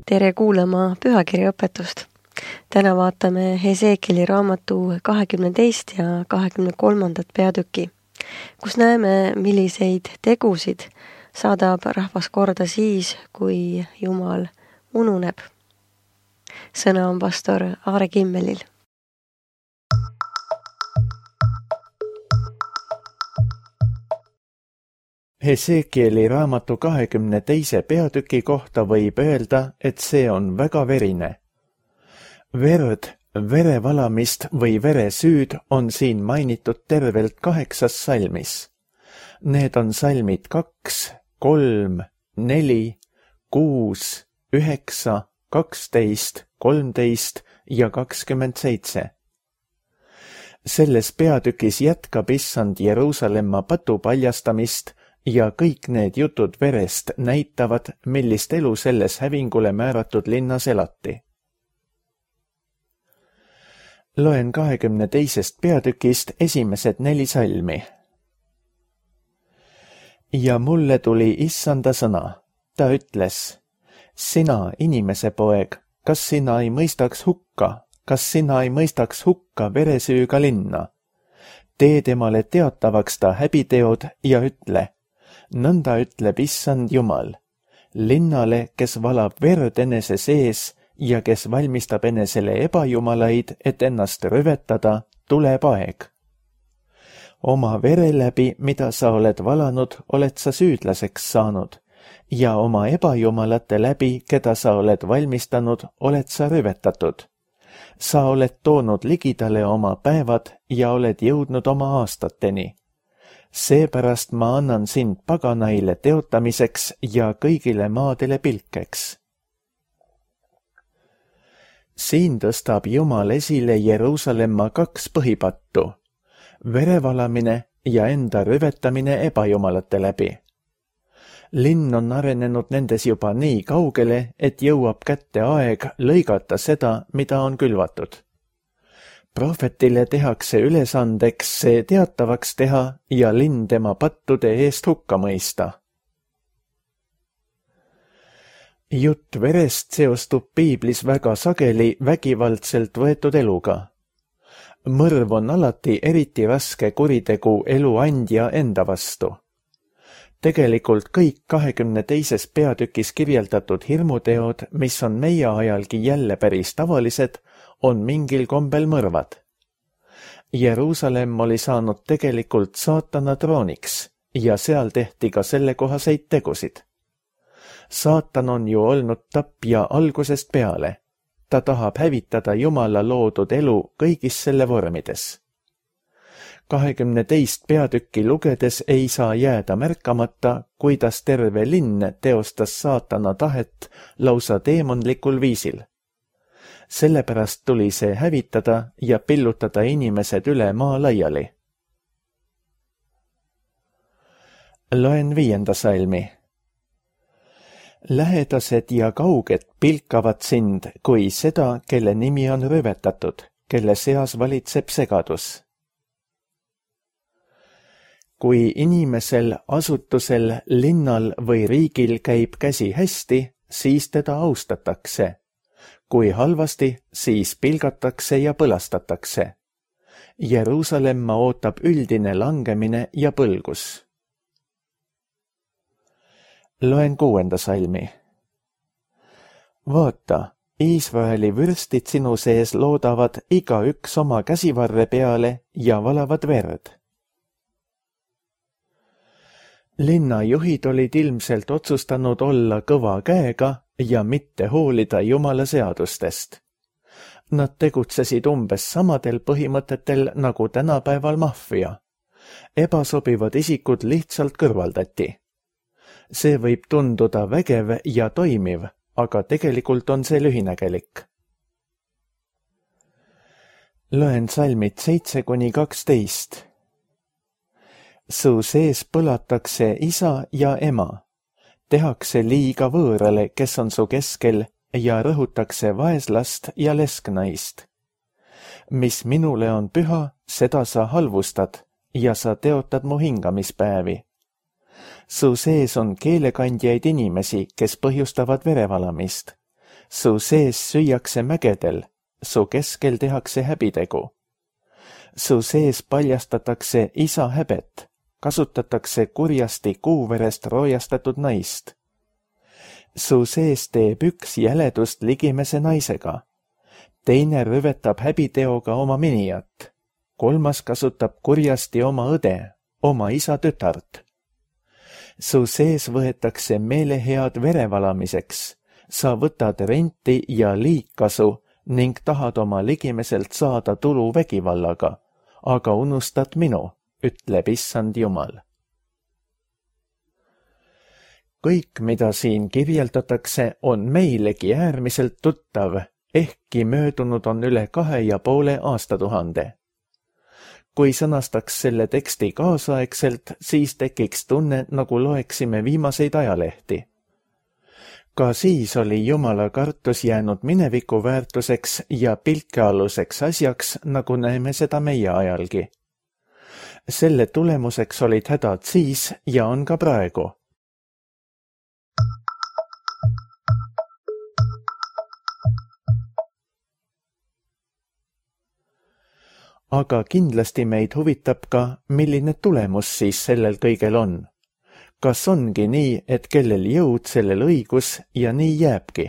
Tere kuulama pühakirjaõpetust. Täna vaatame Hesekieli raamatu 22. ja 23. peatüki, kus näeme, milliseid tegusid saadab rahvas korda siis, kui Jumal ununeb. Sõna on pastor Aare Kimmelil. Hesekieli raamatu 22. peatüki kohta võib öelda, et see on väga verine. Verd, verevalamist või veresüüd on siin mainitud tervelt 8 salmis. Need on salmid 2, 3, 4, 6, 9, 12, 13 ja 27. Selles peatükis jätkab issand Jeruusalemma patu paljastamist ja kõik need jutud verest näitavad, millist elu selles hävingule määratud linnas elati. Loen 22. peatükist esimesed 4 salmi. Ja mulle tuli issanda sõna. Ta ütles, sina, inimese poeg, kas sina ei mõistaks hukka veresüüga linna? Tee temale teatavaks ta häbiteod ja ütle, nõnda ütleb issand Jumal, linnale, kes valab verd enese sees ja kes valmistab enesele ebajumalaid, et ennast rüvetada, tuleb aeg. Oma vere läbi, mida sa oled valanud, oled sa süüdlaseks saanud, ja oma ebajumalate läbi, keda sa oled valmistanud, oled sa rüvetatud. Sa oled toonud ligidale oma päevad ja oled jõudnud oma aastateni. Seepärast ma annan sind paganaile teotamiseks ja kõigile maadele pilkeks. Siin tõstab Jumal esile Jeruusalemma 2 põhipattu, verevalamine ja enda rüvetamine ebajumalate läbi. Linn on arenenud nendes juba nii kaugele, et jõuab kätte aeg lõigata seda, mida on külvatud. Prohvetile tehakse ülesandeks see teatavaks teha ja linn tema pattude eest hukka mõista. Jutt verest seostub piiblis väga sageli vägivaldselt võetud eluga. Mõrv on alati eriti raske kuritegu elu andja enda vastu. Tegelikult kõik 22. peatükis kirjeldatud hirmuteod, mis on meie ajalgi jälle päris tavalised, on mingil kombel mõrvad. Jeruusalemm oli saanud tegelikult saatana trooniks ja seal tehti ka sellekohaseid tegusid. Saatan on ju olnud tapja algusest peale. Ta tahab hävitada Jumala loodud elu kõigis selle vormides. 22. peatükki lugedes ei saa jääda märkamata, kuidas terve linn teostas saatana tahet lausa teemonlikul viisil. Sellepärast tuli see hävitada ja pillutada inimesed üle maa laiali. Loen 5. salmi. Lähedased ja kauged pilkavad sind kui seda, kelle nimi on rüvetatud, kelle seas valitseb segadus. Kui inimesel, asutusel, linnal või riigil käib käsi hästi, siis teda austatakse. Kui halvasti, siis pilgatakse ja põlastatakse. Jeruusalemma ootab üldine langemine ja põlgus. Loen 6. salmi. Vaata, Iisraeli vürstid sinu sees loodavad igaüks oma käsivarre peale ja valavad verd. Linnajuhid olid ilmselt otsustanud olla kõva käega ja mitte hoolida Jumala seadustest. Nad tegutsesid umbes samadel põhimõtetel nagu tänapäeval maffia. Ebasobivad isikud lihtsalt kõrvaldati. See võib tunduda vägev ja toimiv, aga tegelikult on see lühinägelik. Loen salmid 7-12. Su sees põlatakse isa ja ema. Tehakse liiga võõrale, kes on su keskel, ja rõhutakse vaeslast ja lesknaist. Mis minule on püha, seda sa halvustad ja sa teotad mu hingamispäevi. Su sees on keelekandjaid inimesi, kes põhjustavad verevalamist. Su sees süüakse mägedel, su keskel tehakse häbitegu. Su sees paljastatakse isa häbet, kasutatakse kurjasti kuuverest roojastatud naist. Su sees teeb üks jäledust ligimese naisega, teine rüvetab häbiteoga oma minijat, kolmas kasutab kurjasti oma õde, oma isa tütart. Su sees võetakse meelehead verevalamiseks, sa võtad renti ja liigkasu ning tahad oma ligimeselt saada tulu vägivallaga, aga unustad minu, ütleb issand Jumal. Kõik, mida siin kirjeldatakse, on meilegi äärmiselt tuttav, ehkki möödunud on üle 2,5 aastatuhande. Kui sõnastaks selle teksti kaasaegselt, siis tekiks tunne, nagu loeksime viimaseid ajalehti. Ka siis oli Jumala kartus jäänud mineviku väärtuseks ja pilkealuseks asjaks, nagu näeme seda meie ajalgi. Selle tulemuseks olid hädad siis ja on ka praegu. Aga kindlasti meid huvitab ka, milline tulemus siis sellel kõigel on. Kas ongi nii, et kellel jõud, sellel õigus ja nii jääbki?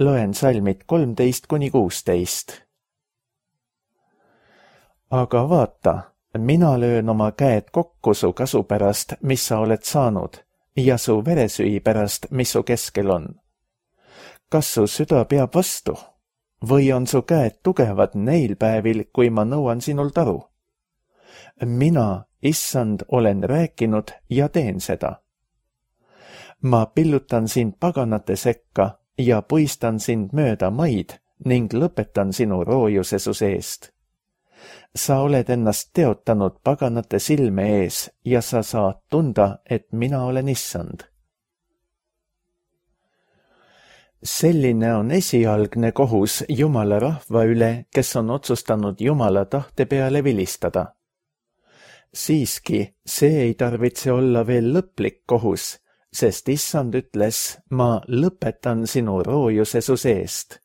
Loen salmid 13-16. Aga vaata, mina löön oma käed kokku su kasu pärast, mis sa oled saanud, ja su veresüü pärast, mis su keskel on. Kas su süda peab vastu? Või on su käed tugevad neil päevil, kui ma nõuan sinult aru? Mina, issand, olen rääkinud ja teen seda. Ma pillutan sind paganate sekka ja puistan sind mööda maid ning lõpetan sinu roojuse su seest. Sa oled ennast teotanud paganate silme ees ja sa saad tunda, et mina olen issand. Selline on esialgne kohus Jumala rahva üle, kes on otsustanud Jumala tahte peale vilistada. Siiski, see ei tarvitse olla veel lõplik kohus, sest issand ütles, ma lõpetan sinu roojuse su seest.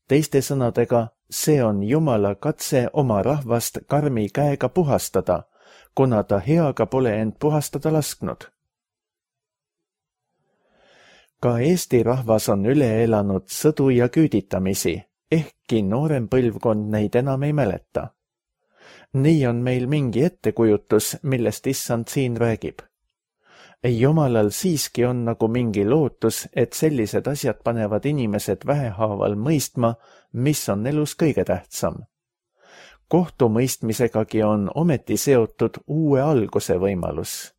Teiste sõnadega, see on Jumala katse oma rahvast karmi käega puhastada, kuna ta heaga pole end puhastada lasknud. Ka Eesti rahvas on üle elanud sõdu ja küüditamisi, ehkki noorem põlvkond neid enam ei mäleta. Nii on meil mingi ettekujutus, millest issand siin räägib. Jumalal siiski on nagu mingi lootus, et sellised asjad panevad inimesed vähehaaval mõistma, mis on elus kõige tähtsam. Kohtumõistmisegagi on ometi seotud uue alguse võimalus.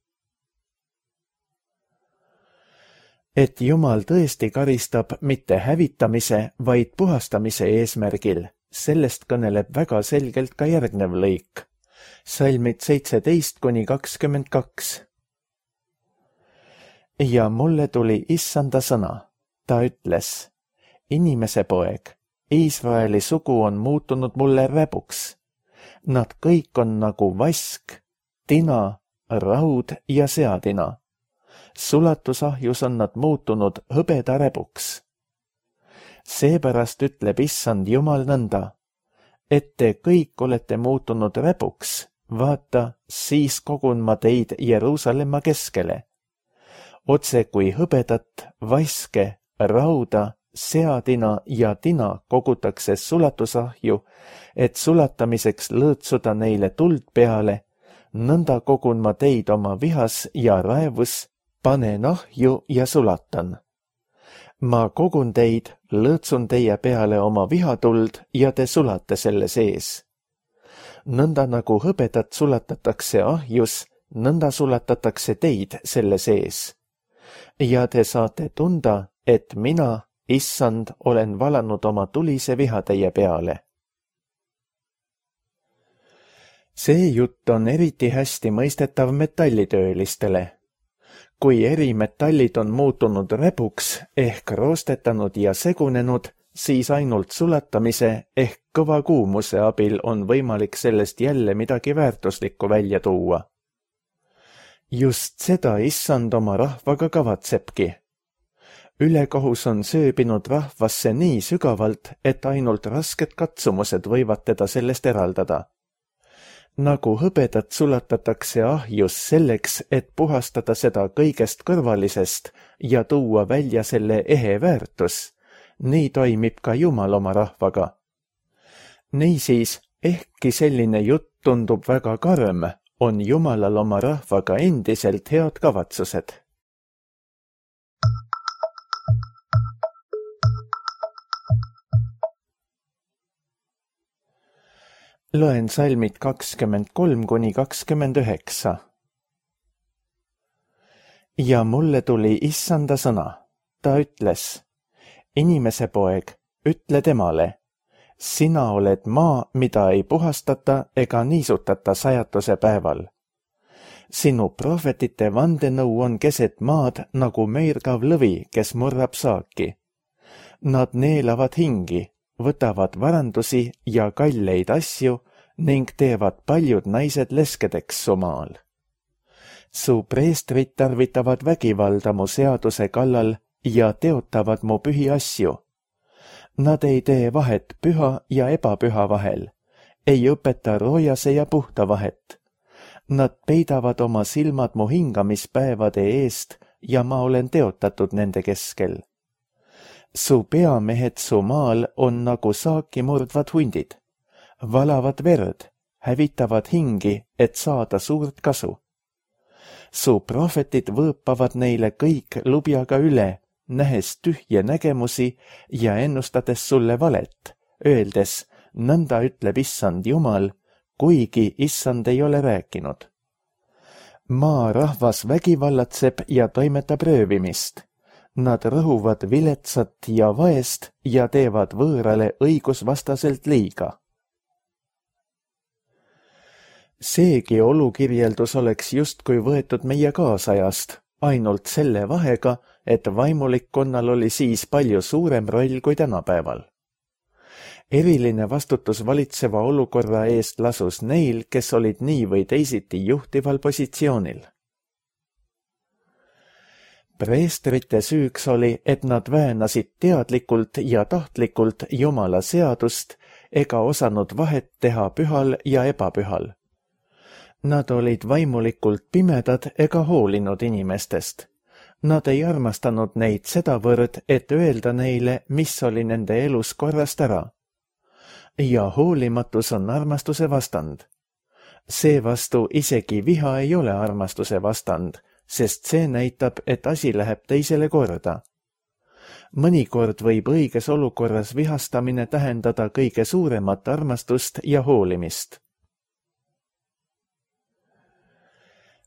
Et Jumal tõesti karistab mitte hävitamise, vaid puhastamise eesmärgil, sellest kõneleb väga selgelt ka järgnev lõik. Salmid 17-22. Ja mulle tuli issanda sõna. Ta ütles, inimese poeg, Iisraeli sugu on muutunud mulle räbuks. Nad kõik on nagu vask, tina, raud ja seadina. Sulatusahjus on nad muutunud hõbeda räbuks. Seepärast ütleb issand Jumal nõnda, et te kõik olete muutunud räbuks, vaata, siis kogun ma teid Jeruusalemma keskele. Otse kui hõbedat, vaske, rauda, seadina ja tina kogutakse sulatusahju, et sulatamiseks lõõtsuda neile tuld peale, nõnda kogun ma teid oma vihas ja raevus, panen ahju ja sulatan. Ma kogun teid, lõõtsun teie peale oma vihatuld ja te sulate selle sees. Nõnda nagu hõbedat sulatatakse ahjus, nõnda sulatatakse teid selle sees. Ja te saate tunda, et mina, issand, olen valanud oma tulise viha teie peale. See jutt on eriti hästi mõistetav metallitöölistele. Kui erimetallid on muutunud räbuks ehk roostetanud ja segunenud, siis ainult sulatamise ehk kõva kuumuse abil on võimalik sellest jälle midagi väärtuslikku välja tuua. Just seda issand oma rahvaga kavatsebki. Ülekohus on sööbinud rahvasse nii sügavalt, et ainult rasked katsumused võivad teda sellest eraldada. Nagu hõbedat sulatatakse ahjus selleks, et puhastada seda kõigest kõrvalisest ja tuua välja selle ehe väärtus, nii toimib ka Jumal oma rahvaga. Niisiis, ehkki selline jutt tundub väga karm, on Jumalal oma rahvaga endiselt head kavatsused. Loen salmid 23–29. Ja mulle tuli issanda sõna. Ta ütles, inimese poeg, ütle temale, sina oled maa, mida ei puhastata ega niisutata sajatuse päeval. Sinu prohvetite vandenõu on keset maad nagu meirgav lõvi, kes murrab saaki. Nad neelavad hingi, võtavad varandusi ja kalleid asju ning teevad paljud naised leskedeks su maal. Su preestrid tarvitavad vägivalda mu seaduse kallal ja teotavad mu pühi asju. Nad ei tee vahet püha ja ebapüha vahel, ei õpeta roojase ja puhta vahet. Nad peidavad oma silmad mu hingamispäevade eest ja ma olen teotatud nende keskel. Su peamehed su maal on nagu saaki murdvad hundid, valavad verd, hävitavad hingi, et saada suurt kasu. Su prohvetid võõpavad neile kõik lubjaga üle, nähes tühje nägemusi ja ennustades sulle valet, öeldes, nõnda ütleb issand Jumal, kuigi issand ei ole rääkinud. Maa rahvas vägivallatseb ja toimetab röövimist. Nad rõhuvad viletsat ja vaest ja teevad võõrale õigusvastaselt liiga. Seegi olukirjeldus oleks justkui võetud meie kaasajast, ainult selle vahega, et vaimulikkonnal oli siis palju suurem roll kui tänapäeval. Eriline vastutus valitseva olukorra eest lasus neil, kes olid nii või teisiti juhtival positsioonil. Preestrite süüks oli, et nad väänasid teadlikult ja tahtlikult Jumala seadust ega osanud vahet teha pühal ja ebapühal. Nad olid vaimulikult pimedad ega hoolinud inimestest. Nad ei armastanud neid sedavõrd, et öelda neile, mis oli nende elus korrast ära. Ja hoolimatus on armastuse vastand. Seevastu isegi viha ei ole armastuse vastand, sest see näitab, et asi läheb teisele korda. Mõnikord võib õiges olukorras vihastamine tähendada kõige suuremat armastust ja hoolimist.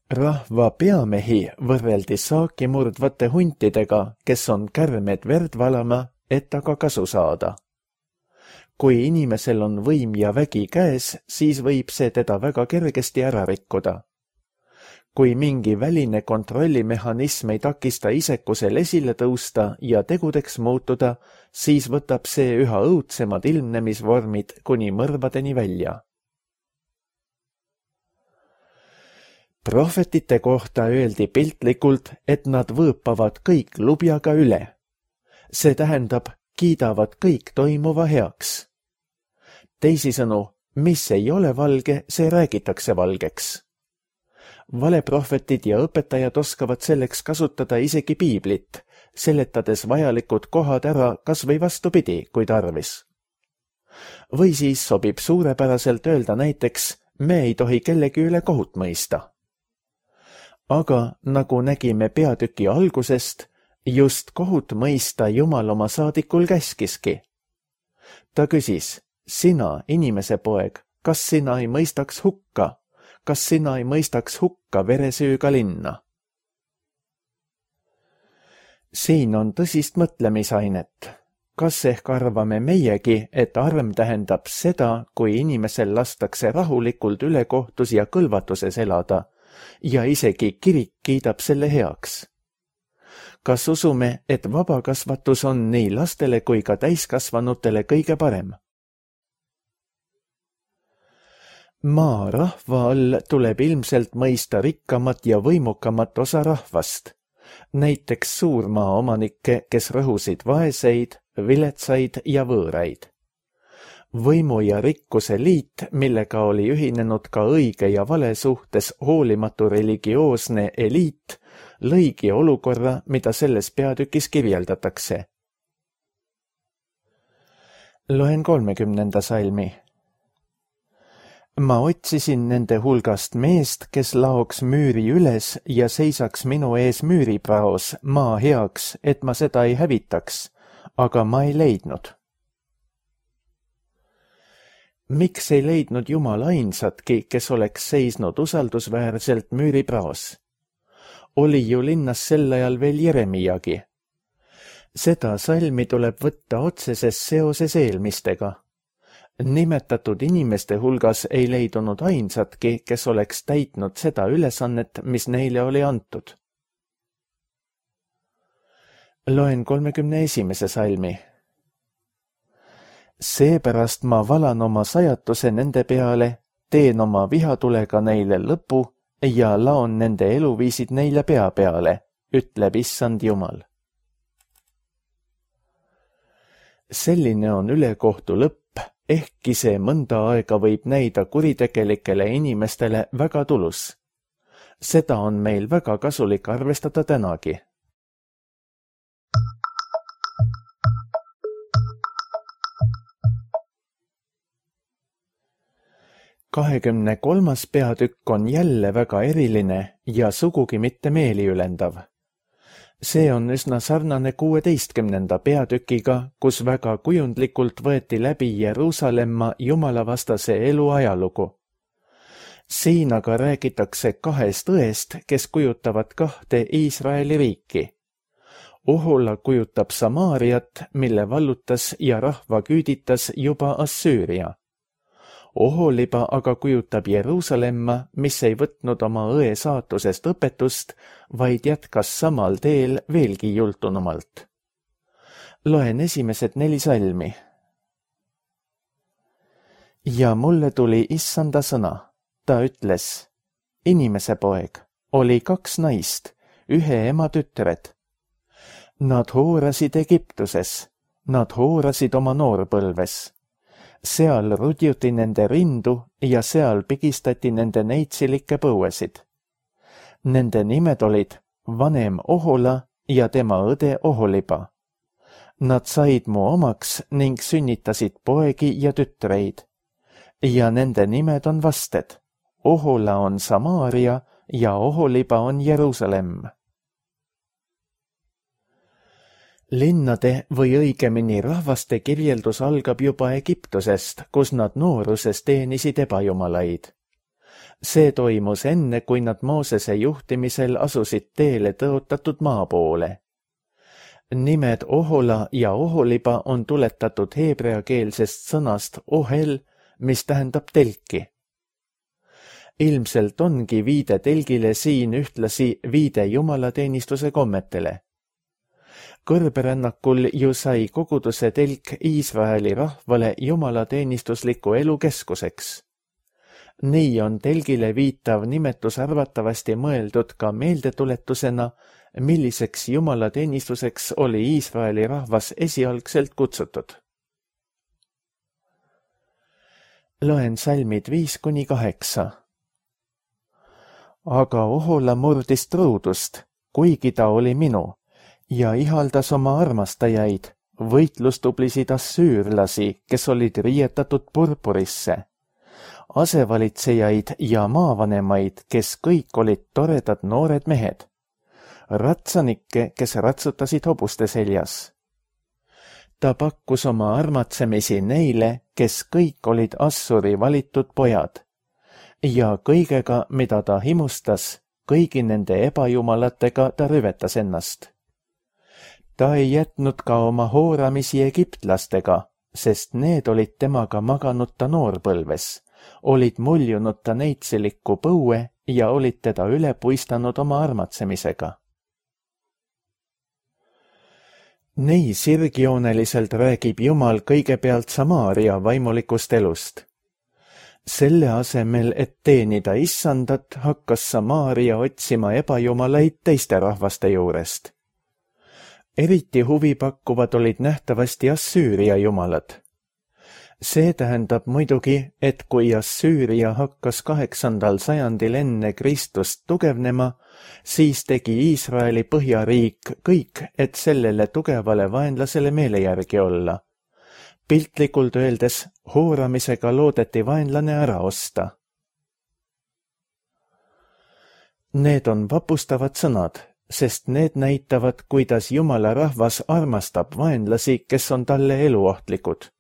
Rahva peamehi võrreldi saaki murdvate huntidega, kes on kärmed verd valama, et aga kasu saada. Kui inimesel on võim ja vägi käes, siis võib see teda väga kergesti ära rikkuda. Kui mingi väline kontrollimehhanism ei takista isekusel esile tõusta ja tegudeks muutuda, siis võtab see üha õudsemad ilmnemisvormid kuni mõrvadeni välja. Prohvetite kohta öeldi piltlikult, et nad võõpavad kõik lubjaga üle. See tähendab, kiidavad kõik toimuva heaks. Teisisõnu, mis ei ole valge, see räägitakse valgeks. Valeprohvetid ja õpetajad oskavad selleks kasutada isegi piiblit, seletades vajalikud kohad ära kas või vastupidi, kui tarvis. Või siis sobib suurepäraselt öelda näiteks, me ei tohi kellegi üle kohut mõista. Aga nagu nägime peatüki algusest, just kohut mõista Jumal oma saadikul käskiski. Ta küsis, sina, inimese poeg, kas sina ei mõistaks hukka? Kas sina ei mõistaks hukka veresüüga linna? Siin on tõsist mõtlemisainet. Kas ehk arvame meiegi, et arm tähendab seda, kui inimesel lastakse rahulikult ülekohtus ja kõlvatuses elada ja isegi kirik kiidab selle heaks? Kas usume, et vabakasvatus on nii lastele kui ka täiskasvanutele kõige parem? Maa rahva all tuleb ilmselt mõista rikkamat ja võimukamat osa rahvast, näiteks suurmaaomanikke, kes rõhusid vaeseid, viletsaid ja võõraid. Võimu ja rikkuse liit, millega oli ühinenud ka õige ja vale suhtes hoolimatu religioosne eliit, lõigi olukorra, mida selles peatükis kirjeldatakse. Loen 30. salmi. Ma otsisin nende hulgast meest, kes laoks müüri üles ja seisaks minu ees müüripraos maa heaks, et ma seda ei hävitaks, aga ma ei leidnud. Miks ei leidnud Jumal ainsatki, kes oleks seisnud usaldusväärselt müüripraos? Oli ju linnas sel ajal veel Jeremiagi. Seda salmi tuleb võtta otseses seoses eelmistega. Nimetatud inimeste hulgas ei leidunud ainsatki, kes oleks täitnud seda ülesannet, mis neile oli antud. Loen 31. salmi. Seepärast ma valan oma sajatuse nende peale, teen oma vihatulega neile lõpu ja laon nende eluviisid neile pea peale, ütleb Issand Jumal. Selline on ülekohtu lõpp, ehkki see mõnda aega võib näida kuritegelikele inimestele väga tulus. Seda on meil väga kasulik arvestada tänagi. Kahekümne 23. peatükk on jälle väga eriline ja sugugi mitte meeliülendav. See on üsna sarnane 16. peatükiga, kus väga kujundlikult võeti läbi Jeruusalemma jumalavastase elu ajalugu. Siin aga räägitakse kahest õest, kes kujutavad kahte Iisraeli riiki. Ohola kujutab Samaariat, mille vallutas ja rahva küüditas juba Assüüria. Oholiba aga kujutab Jeruusalemma, mis ei võtnud oma õe saatusest õpetust, vaid jätkas samal teel veelgi jultunumalt. Loen esimesed 4 salmi. Ja mulle tuli Issanda sõna. Ta ütles, inimese poeg, oli 2 naist, ühe ema tütred. Nad hoorasid Egiptuses, nad hoorasid oma noorpõlves. Seal rudjuti nende rindu ja seal pigistati nende neitsilikke põuesid. Nende nimed olid vanem Ohola ja tema õde Oholiba. Nad said mu omaks ning sünnitasid poegi ja tütreid. Ja nende nimed on vasted. Ohola on Samaaria ja Oholiba on Jeruusalemm. Linnade või õigemini rahvaste kirjeldus algab juba Egiptusest, kus nad nooruses teenisid ebajumalaid. See toimus enne, kui nad Moosese juhtimisel asusid teele tõotatud maa poole. Nimed Ohola ja Oholiba on tuletatud heebreakeelsest sõnast ohel, mis tähendab telki. Ilmselt ongi viide telgile siin ühtlasi viide jumalateenistuse kommetele. Kõrberännakul ju sai koguduse telk Iisraeli rahvale jumalateenistusliku elu keskuseks. Nii on telgile viitav nimetus arvatavasti mõeldud ka meeldetuletusena, milliseks jumalateenistuseks oli Iisraeli rahvas esialgselt kutsutud. Loen salmid 5-8. Aga Ohola murdis truudust, kuigi ta oli minu, ja ihaldas oma armastajaid, võitlustublisid assüürlasi, kes olid riietatud purpurisse, asevalitsejaid ja maavanemaid, kes kõik olid toredad noored mehed, ratsanikke, kes ratsutasid hobuste seljas. Ta pakkus oma armatsemisi neile, kes kõik olid Assuri valitud pojad, ja kõigega, mida ta himustas, kõigi nende ebajumalatega ta rüvetas ennast. Ta ei jätnud ka oma hooramisi egiptlastega, sest need olid temaga maganud ta noorpõlves, olid muljunud ta neitsiliku põue ja olid teda üle puistanud oma armatsemisega. Nii sirgjooneliselt räägib Jumal kõigepealt Samaaria vaimulikust elust. Selle asemel, et teenida issandat, hakkas Samaaria otsima ebajumalaid teiste rahvaste juurest. Eriti huvipakkuvad olid nähtavasti Assüüria jumalad. See tähendab muidugi, et kui Assüüria hakkas 8. sajandil enne Kristust tugevnema, siis tegi Iisraeli põhjariik kõik, et sellele tugevale vaenlasele meele järgi olla. Piltlikult öeldes, hooramisega loodeti vaenlane ära osta. Need on vapustavad sõnad, sest need näitavad, kuidas Jumala rahvas armastab vaenlasi, kes on talle eluohtlikud.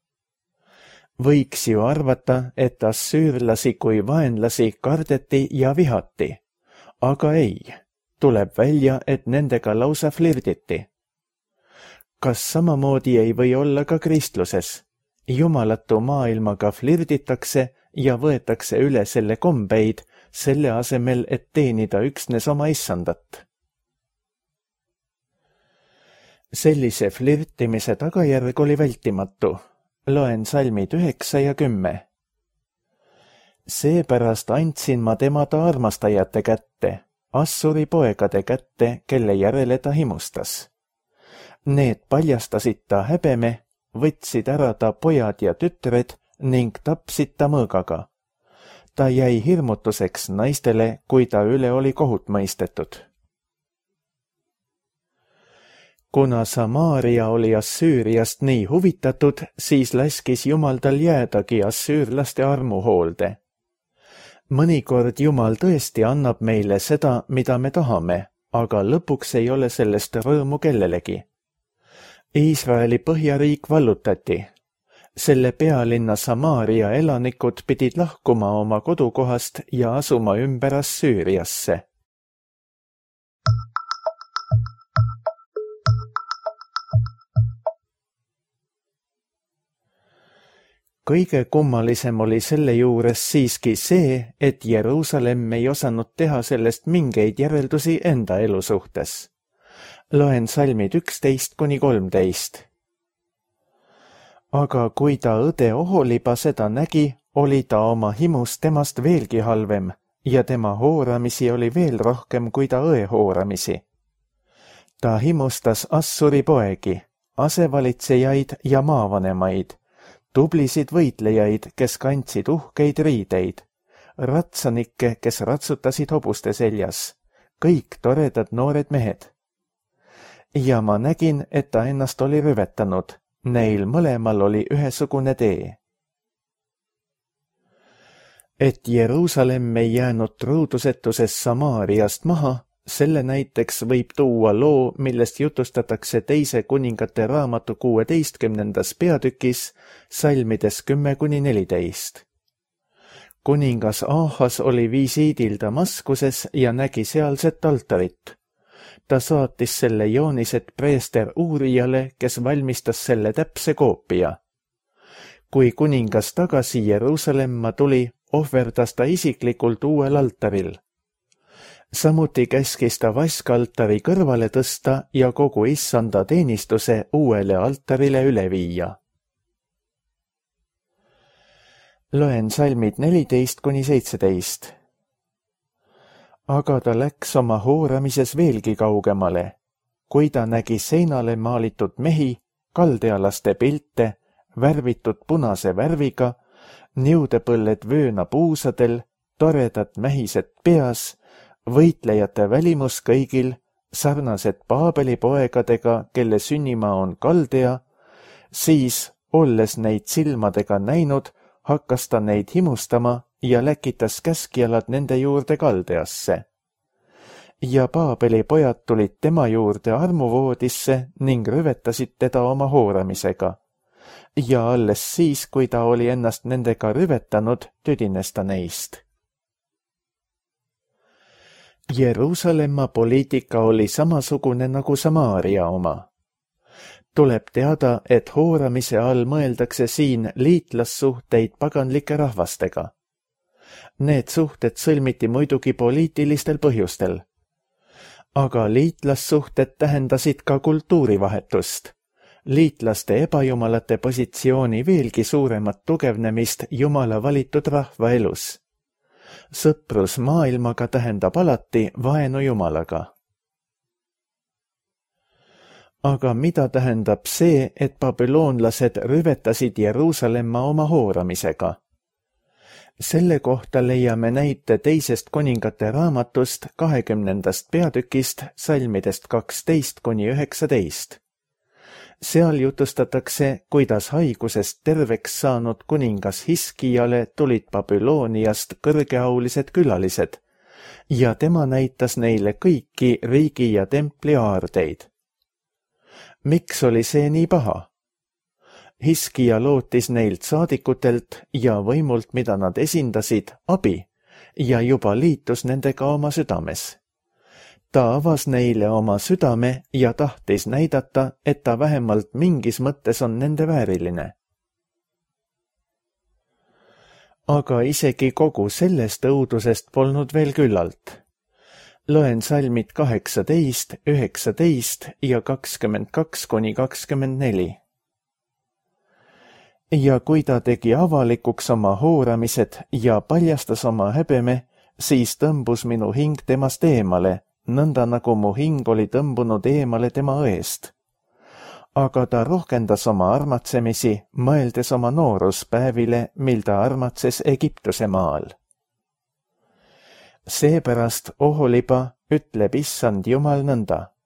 Võiks ju arvata, et assüürlasi kui vaenlasi kardeti ja vihati, aga ei, tuleb välja, et nendega lausa flirditi. Kas samamoodi ei või olla ka kristluses? Jumalatu maailmaga flirditakse ja võetakse üle selle kombeid, selle asemel, et teenida üksnes oma issandat. Sellise flirtimise tagajärg oli vältimatu. Loen salmid 9 ja 10. Seepärast andsin ma tema ta armastajate kätte, Assuri poegade kätte, kelle järele ta himustas. Need paljastasid ta häbeme, võtsid ära ta pojad ja tütred ning tapsid ta mõõgaga. Ta jäi hirmutuseks naistele, kui ta üle oli kohut mõistetud. Kuna Samaaria oli Assüüriast nii huvitatud, siis laskis Jumal tal jäädagi assüürlaste armuhoolde. Mõnikord Jumal tõesti annab meile seda, mida me tahame, aga lõpuks ei ole sellest rõõmu kellelegi. Iisraeli põhjariik vallutati. Selle pealinna Samaaria elanikud pidid lahkuma oma kodukohast ja asuma ümber Assüüriasse. Kõige kummalisem oli selle juures siiski see, et Jeruusalemm ei osanud teha sellest mingeid järeldusi enda elu suhtes. Loen salmid 11–13. Aga kui ta õde Oholiba seda nägi, oli ta oma himus temast veelgi halvem ja tema hooramisi oli veel rohkem kui ta õe hooramisi. Ta himustas Assuri poegi, asevalitsejaid ja maavanemaid, tublisid võitlejaid, kes kandsid uhkeid riideid, ratsanikke, kes ratsutasid hobuste seljas, kõik toredad noored mehed. Ja ma nägin, et ta ennast oli rüvetanud, neil mõlemal oli ühesugune tee. Et Jeruusalemm ei jäänud truudusetuses Samaariast maha, selle näiteks võib tuua loo, millest jutustatakse teise kuningate raamatu 16. peatükis, salmides 10–14. Kuningas Aahas oli visiidil Damaskuses ja nägi sealset altarit. Ta saatis selle joonised preester Uurijale, kes valmistas selle täpse koopia. Kui kuningas tagasi Jeruusalemma tuli, ohverdas ta isiklikult uuel altaril. Samuti käskis ta vaskaltari kõrvale tõsta ja kogu issanda teenistuse uuele altarile üle viia. Loen salmid 14–17. Aga ta läks oma hooramises veelgi kaugemale, kui ta nägi seinale maalitud mehi, kaldealaste pilte, värvitud punase värviga, niudepõlled vööna puusadel, toredad mähised peas, võitlejate välimus kõigil, sarnased Paabeli poegadega, kelle sünnimaa on Kaldea, siis, olles neid silmadega näinud, hakkas ta neid himustama ja läkitas käskjalad nende juurde Kaldeasse. Ja Paabeli pojad tulid tema juurde armuvoodisse ning rüvetasid teda oma hooramisega. Ja alles siis, kui ta oli ennast nendega rüvetanud, tüdines ta neist. Jeruusalemma poliitika oli samasugune nagu Samaaria oma. Tuleb teada, et hooramise all mõeldakse siin liitlassuhteid paganlike rahvastega. Need suhted sõlmiti muidugi poliitilistel põhjustel. Aga liitlassuhted tähendasid ka kultuurivahetust. liitlaste ebajumalate positsiooni veelgi suuremat tugevnemist Jumala valitud rahva elus. Sõprus maailmaga tähendab alati vaenu Jumalaga. Aga mida tähendab see, et babüloonlased rüvetasid Jeruusalemma oma hooramisega? Selle kohta leiame näite teisest kuningate raamatust 20. peatükist salmidest 12–19. Seal jutustatakse, kuidas haigusest terveks saanud kuningas Hiskijale tulid Babülooniast kõrgeaulised külalised ja tema näitas neile kõiki riigi ja templi aardeid. Miks oli see nii paha? Hiskija lootis neilt saadikutelt ja võimult, mida nad esindasid, abi ja juba liitus nendega oma südames. Ta avas neile oma südame ja tahtis näidata, et ta vähemalt mingis mõttes on nende vääriline. Aga isegi kogu sellest õudusest polnud veel küllalt. Loen salmid 18, 19 ja 22–24. Ja kui ta tegi avalikuks oma hooramised ja paljastas oma häbeme, siis tõmbus minu hing temast eemale, nõnda nagu mu hing oli tõmbunud eemale tema õest. Aga ta rohkendas oma armatsemisi, mõeldes oma nooruspäevile, mil ta armatses Egiptuse maal. Seepärast, Oholiba, ütleb Issand Jumal nõnda.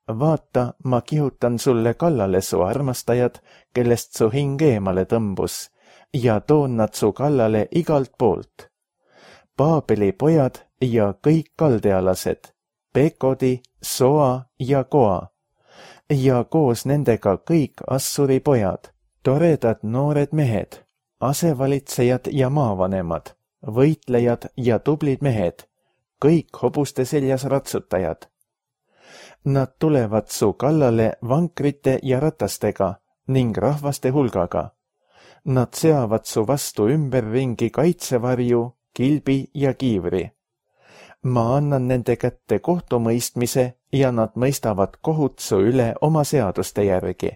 Vaata, ma kihutan sulle kallale su armastajad, kellest su hing eemale tõmbus, ja toon nad su kallale igalt poolt. Paabeli pojad ja kõik kaldealased, Pekodi, Soa ja Koa, ja koos nendega kõik Assuri pojad, toredad noored mehed, asevalitsejad ja maavanemad, võitlejad ja tublid mehed, kõik hobuste seljas ratsutajad. Nad tulevad su kallale vankrite ja ratastega ning rahvaste hulgaga. Nad seavad su vastu ümberringi kaitsevarju, kilbi ja kiivri. Ma annan nende kätte kohtumõistmise ja nad mõistavad kohut su üle oma seaduste järgi.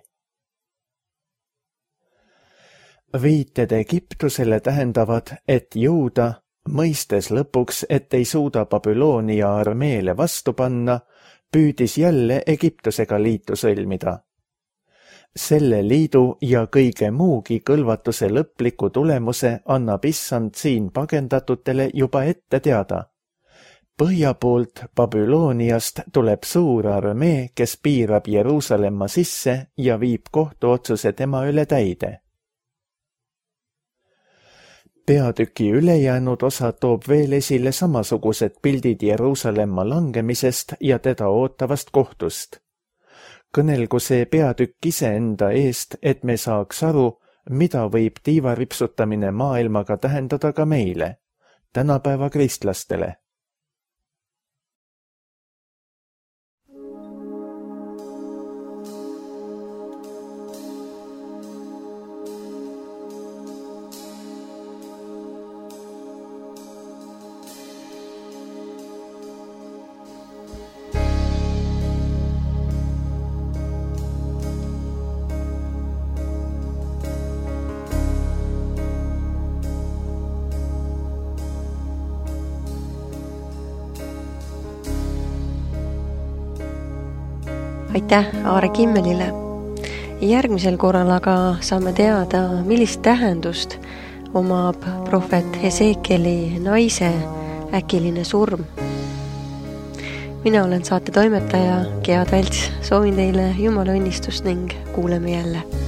Viited Egiptusele tähendavad, et jõuda, mõistes lõpuks, et ei suuda Babyloonia armeele vastu panna, püüdis jälle Egiptusega liitu sõlmida. Selle liidu ja kõige muugi kõlvatuse lõpliku tulemuse annab Issand siin pagendatutele juba ette teada. Põhja poolt Babyloniast tuleb suur armee, kes piirab Jeruusalemma sisse ja viib kohtuotsuse tema üle täide. Peatüki ülejäänud osa toob veel esile samasugused pildid Jeruusalemma langemisest ja teda ootavast kohtust. Kõnelgu see peatükk iseenda eest, et me saaks aru, mida võib tiivaripsutamine maailmaga tähendada ka meile, tänapäeva kristlastele. Aitäh Aare Kimmelile. Järgmisel korral aga saame teada, millist tähendust omab prohvet Hesekieli naise äkiline surm. Mina olen saate toimetaja Gea Talts, soovin teile Jumala õnnistust ning kuuleme jälle.